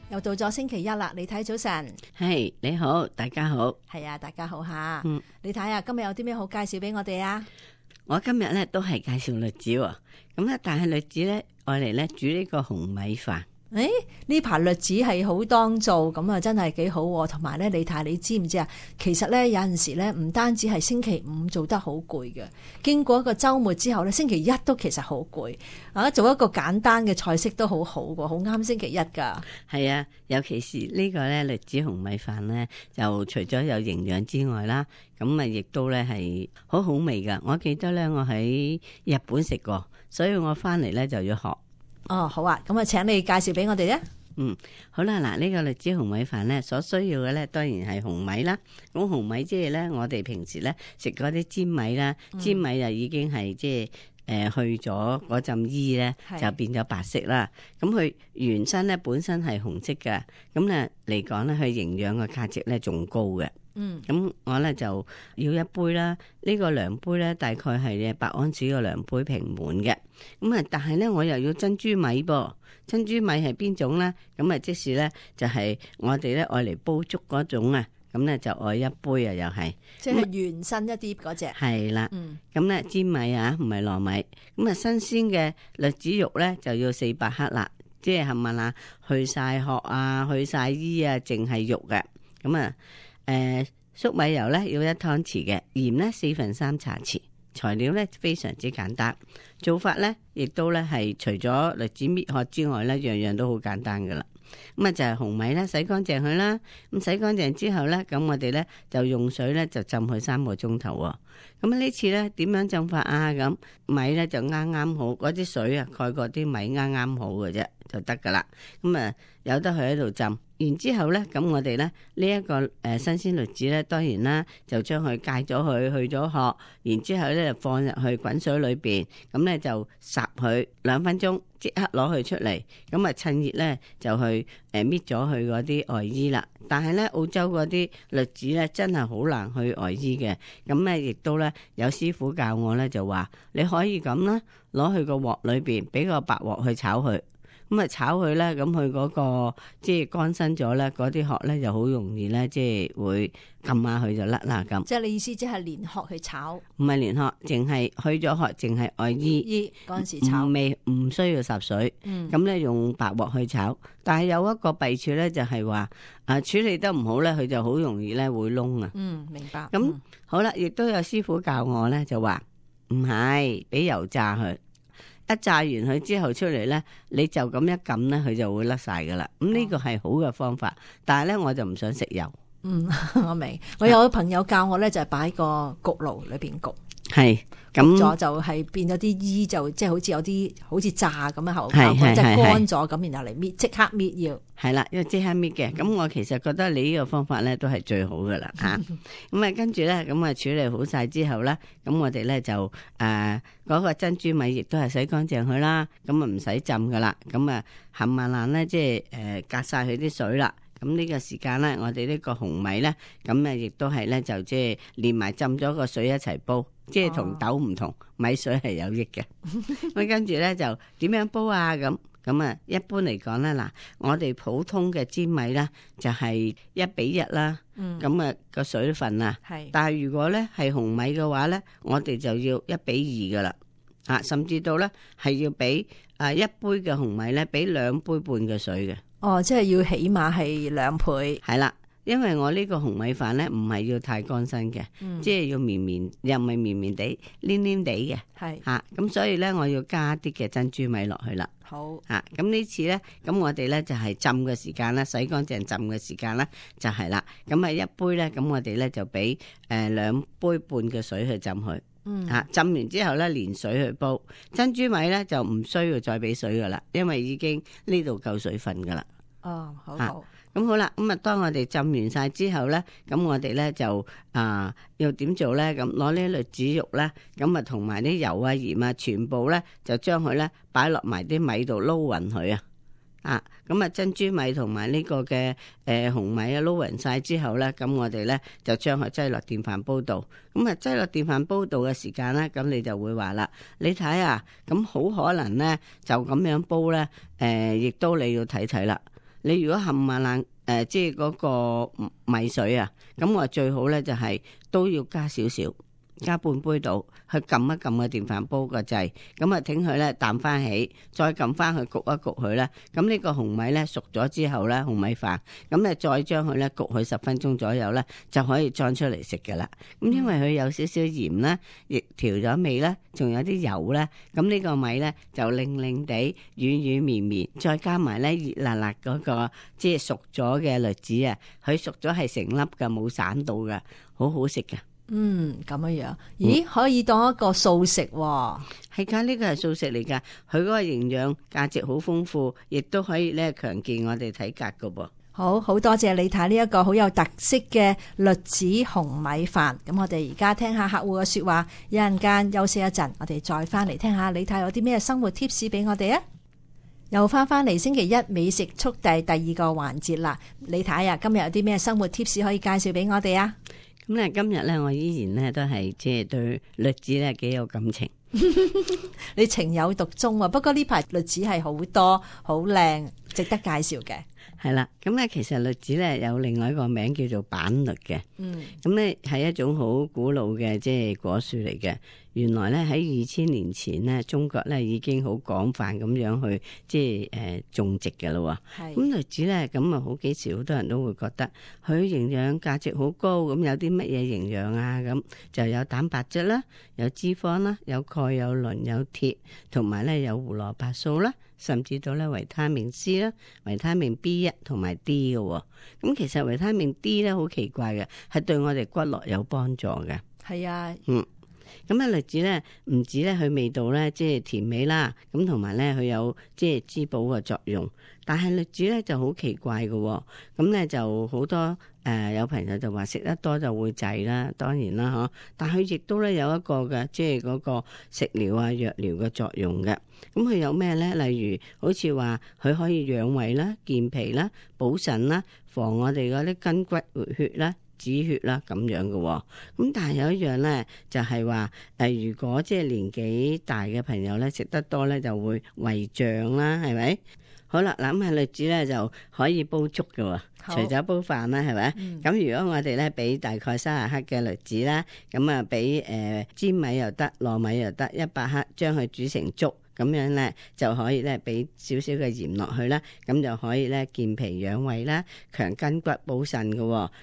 又到咗星期一啦，李太早晨。係，你好，大家好。係啊，大家好吓。李太啊，今日有啲咩好介紹俾我哋啊？我今日咧都係介紹栗子喎，咁咧但係栗子咧愛嚟咧煮呢個紅米飯。誒，呢排栗子係好當造，咁啊真係幾好。同埋咧，李太你知唔知啊？其實咧有陣時咧唔單止係星期五做得好攰嘅，經過一個週末之後咧，星期一都其實好攰啊！做一個簡單嘅菜式都好好喎，好啱星期一噶。係啊，尤其是呢個咧栗子紅米飯咧，就除咗有營養之外啦，咁啊亦都咧係好好味噶。我記得咧我喺日本食過，所以我翻嚟咧就要學。哦，好啊，咁啊，請你介紹俾我哋咧。好啦，嗱，呢個栗子紅米飯咧，所需要嘅咧，當然係紅米啦。咁紅米即係咧，我哋平時咧食嗰啲粘米啦，粘米就已經係即係去咗嗰陣衣咧，就變咗白色啦。咁佢原身咧本身係紅色嘅，咁咧嚟講咧，佢營養嘅價值咧仲高嘅。咁我咧就要一杯啦，呢個量杯咧大概係8安士個量杯平滿嘅。咁啊，但係咧我又要珍珠米噃，珍珠米係邊種咧？咁啊，即是咧就係我哋咧愛嚟煲粥嗰種啊，咁咧就愛一杯啊，又係即係原身一啲嗰隻。係啦，咁咧粘米啊，唔係糯米。咁啊，新鮮嘅栗子肉咧就要400克啦，即係冚唪唥去晒殼啊，去晒衣啊，淨係肉嘅。咁啊。粟米油咧要1湯匙嘅，鹽咧3/4茶匙。材料咧非常之簡單，做法咧亦都咧係除咗栗子搣殼之外咧，樣樣都好簡單噶啦。咁啊就係紅米咧洗乾淨佢啦，咁洗乾淨之後咧，咁我哋咧就用水咧就浸佢3個鐘頭。咁呢次咧點樣浸法啊？咁米咧就啱啱好，嗰啲水啊蓋過啲米啱啱好嘅啫，就得噶啦。咁啊由得佢喺度浸。然之後咧，咁我哋咧呢一個新鮮栗子咧，當然啦，就將佢戒咗佢，去咗殼，然之後咧就放入去滾水裏邊，咁咧就烚佢2分鐘，即刻攞佢出嚟，咁啊趁熱咧就去搣咗佢嗰啲外衣啦。但係咧澳洲嗰啲栗子咧真係好難去外衣嘅，咁咧亦都咧有師傅教我咧就話你可以咁啦，攞去個鑊裏邊，俾個白鑊去炒佢。咁啊炒佢咧，咁佢嗰個即係乾身咗咧，嗰啲殼咧就好容易咧，即係會撳下佢就甩啦咁。即係你意思即係連殼去炒？唔係連殼，淨係去咗殼，淨係外衣嗰陣時炒，唔需要霎水。咁咧用白鑊去炒，但係有一個弊處咧，就係話處理得唔好咧，佢就好容易咧會燶啊。明白。咁好啦，亦都有師傅教我咧，就話唔係俾油炸佢。一炸完佢之後出嚟咧，你就咁一撳咧，佢就會甩晒噶啦。咁呢個係好嘅方法，但係咧我就唔想食油。我明。我有個朋友教我咧，就係擺個焗爐裏邊焗，係咁咗就係變咗啲衣就即係好似有啲好似炸咁嘅效果，即係乾咗咁，然後嚟搣，即刻搣要。係啦，因為即刻搣嘅。咁我其實覺得你呢個方法咧都係最好噶啦吓。咁啊跟住咧，咁啊處理好晒之後咧，咁我哋咧就嗰個珍珠米亦都係洗乾淨佢啦，咁啊唔使浸噶啦，咁啊冚唪唥咧即係隔晒佢啲水啦。咁呢個時間咧，我哋呢個紅米咧，咁啊亦都係咧就即係連埋浸咗個水一齊煲，即係同豆唔同，米水係有益嘅。咁跟住咧就點樣煲啊？咁啊，一般嚟講咧，嗱，我哋普通嘅粘米咧就係1:1啦。咁啊個水分啊，但係如果咧係紅米嘅話咧，我哋就要1:2噶啦，甚至到咧係要俾1杯嘅紅米咧，俾2杯半嘅水嘅。哦，即係要起碼係2倍。係啦，因為我呢個紅米飯咧唔係要太乾身嘅，即係要綿綿，又唔係綿綿地，黏黏地嘅。係咁所以咧我要加啲嘅珍珠米落去啦。好咁呢次咧，咁我哋咧就係浸嘅時間啦，洗乾淨浸嘅時間啦，就係啦。咁啊1杯咧，咁我哋咧就俾2杯半嘅水去浸佢。浸完之後咧，連水去煲。珍珠米咧就唔需要再俾水噶啦，因為已經呢度夠水分噶啦。哦，好好。咁好啦，咁啊，當我哋浸完晒之後咧，咁我哋咧就要點做咧？咁攞呢栗子肉咧，咁啊同埋啲油啊鹽啊，全部咧就將佢咧擺落埋啲米度撈匀佢啊！咁啊珍珠米同埋呢個嘅紅米啊撈匀晒之後咧，咁我哋咧就將佢擠落電飯煲度。咁啊擠落電飯煲度嘅時間咧，咁你就會話啦，你睇啊，咁好可能咧就咁樣煲咧，亦都你要睇睇啦。你如果冚唪唥即係嗰個米水啊，咁我最好咧就係都要加少少。加半杯度去撳一撳個電飯煲個掣，咁啊挺佢咧淡翻起，再撳翻去焗一焗佢咧。咁呢個紅米咧熟咗之後咧，紅米飯咁咧再將佢咧焗佢10分鐘左右咧，就可以裝出嚟食噶啦。咁因為佢有少少鹽啦，亦調咗味啦，仲有啲油咧，咁呢個米咧就令令地軟軟綿綿，再加埋咧熱辣辣嗰個即係熟咗嘅栗子啊，佢熟咗係成粒噶，冇散到噶，好好食噶。咁樣，咦？可以當一個素食喎。係噶，呢個係素食嚟噶，佢嗰個營養價值好豐富，亦都可以咧強健我哋體格噶噃。好多謝李太呢一個好有特色嘅栗子紅米飯。咁我哋而家聽下客戶嘅說話，一陣間休息一陣，我哋再翻嚟聽下李太有啲咩生活貼士俾我哋啊！又翻嚟星期一美食速遞第2個環節啦，李太啊，今日有啲咩生活貼士可以介紹俾我哋啊？咁咧今日咧，我依然咧都係即係對栗子咧幾有感情。你情有獨鍾啊！不過呢排栗子係好多好靚，值得介紹嘅。係啦，咁咧其實栗子咧有另外一個名叫做板栗嘅。咁咧係一種好古老嘅即係果樹嚟嘅。原來咧喺2000年前咧，中國咧已經好廣泛咁樣去即係種植嘅咯。咁栗子咧咁啊，好幾時好多人都會覺得佢營養價值好高。咁有啲乜嘢營養啊？咁就有蛋白質啦，有脂肪啦，有鈣、有磷、有鐵，同埋咧有胡蘿蔔素啦，甚至到咧維他命 C 啦、維他命 B1 同埋 D 嘅。咁其實維他命 D 咧好奇怪嘅，係對我哋骨骼有幫助嘅。係啊，咁啊栗子咧唔止咧佢味道咧即係甜美啦，咁同埋咧佢有即係滋補嘅作用。但係栗子咧就好奇怪嘅，咁咧就好多有朋友就話食得多就會滯啦，當然啦嗬。但佢亦都咧有一個嘅即係嗰個食療啊藥療嘅作用嘅。咁佢有咩咧？例如好似話佢可以養胃啦、健脾啦、補腎啦、防我哋嗰啲筋骨活血啦、止血啦咁樣嘅。咁但係有一樣咧，就係話如果即係年紀大嘅朋友咧食得多咧，就會胃脹啦，係咪？好啦，諗下栗子咧就可以煲粥嘅，除咗煲飯啦，係咪？咁如果我哋咧俾大概30克嘅栗子啦，咁啊俾粘米又得，糯米又得100克，將佢煮成粥。咁樣咧就可以咧俾少少嘅鹽落去啦，咁就可以咧健脾養胃啦，強筋骨補腎嘅。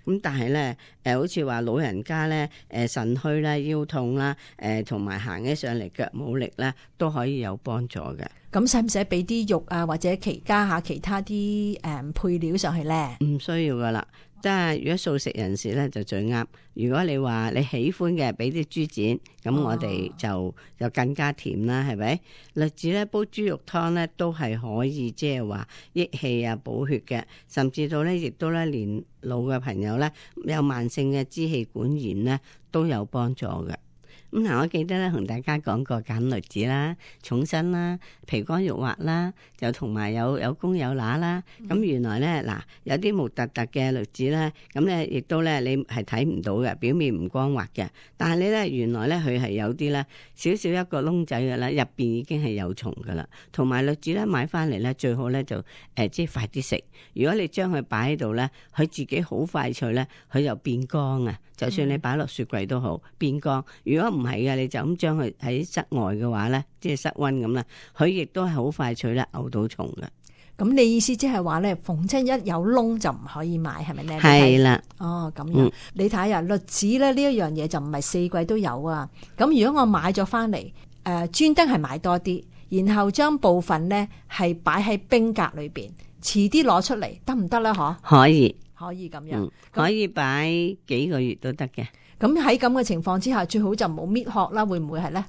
咁但係咧好似話老人家咧腎虛啦、腰痛啦，同埋行起上嚟腳冇力啦，都可以有幫助嘅。咁使唔使俾啲肉啊，或者加下其他啲配料上去咧？唔需要噶啦。即係如果素食人士咧就最啱。如果你話你喜歡嘅，俾啲豬展，咁我哋就更加甜啦，係咪？栗子咧煲豬肉湯咧都係可以，即係話益氣啊、補血嘅，甚至到咧亦都咧年老嘅朋友咧有慢性嘅支氣管炎咧都有幫助嘅。咁嗱，我記得咧同大家講過揀栗子啦，重身啦，皮乾肉滑啦，就同埋有公有乸啦。咁原來咧嗱，有啲木突突嘅栗子咧，咁咧亦都咧你係睇唔到嘅，表面唔光滑嘅。但係你咧原來咧佢係有啲咧少少一個窿仔嘅啦，入邊已經係有蟲噶啦。同埋栗子咧買翻嚟咧最好咧就即係快啲食。如果你將佢擺喺度咧，佢自己好快脆咧，佢就變乾啊。就算你擺落雪櫃都好變乾。如果唔係嘅，你就咁將佢喺室外嘅話咧，即係室溫咁啦，佢亦都係好快脆啦，嘔到蟲嘅。咁你意思即係話咧，逢親一有窿就唔可以買，係咪咧？係啦。哦，咁樣。你睇下栗子咧呢一樣嘢就唔係4季都有啊。咁如果我買咗翻嚟，專登係買多啲，然後將部分咧係擺喺冰格裏邊，遲啲攞出嚟得唔得咧？嗬？可以咁樣，可以擺幾個月都得嘅。咁喺咁嘅情況之下，最好就冇搣殼啦，會唔會係咧？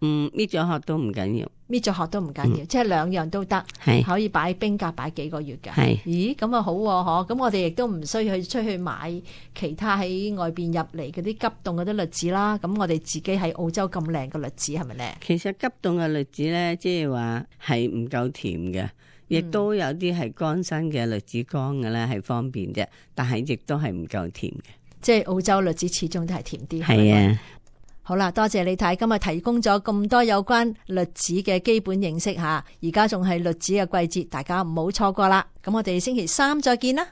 搣咗殼都唔緊要，搣咗殼都唔緊要，即係兩樣都得，可以擺冰格擺幾個月嘅。咦，咁啊好嗬，咁我哋亦都唔需要去出去買其他喺外邊入嚟嗰啲急凍嗰啲栗子啦。咁我哋自己喺澳洲咁靚嘅栗子係咪咧？其實急凍嘅栗子咧，即係話係唔夠甜嘅。亦都有啲係乾身嘅栗子乾嘅咧，係方便啫，但係亦都係唔夠甜嘅。即係澳洲栗子始終都係甜啲。係啊。好啦，多謝李太今日提供咗咁多有關栗子嘅基本認識吓，而家仲係栗子嘅季節，大家唔好錯過啦。咁我哋星期三再見啦。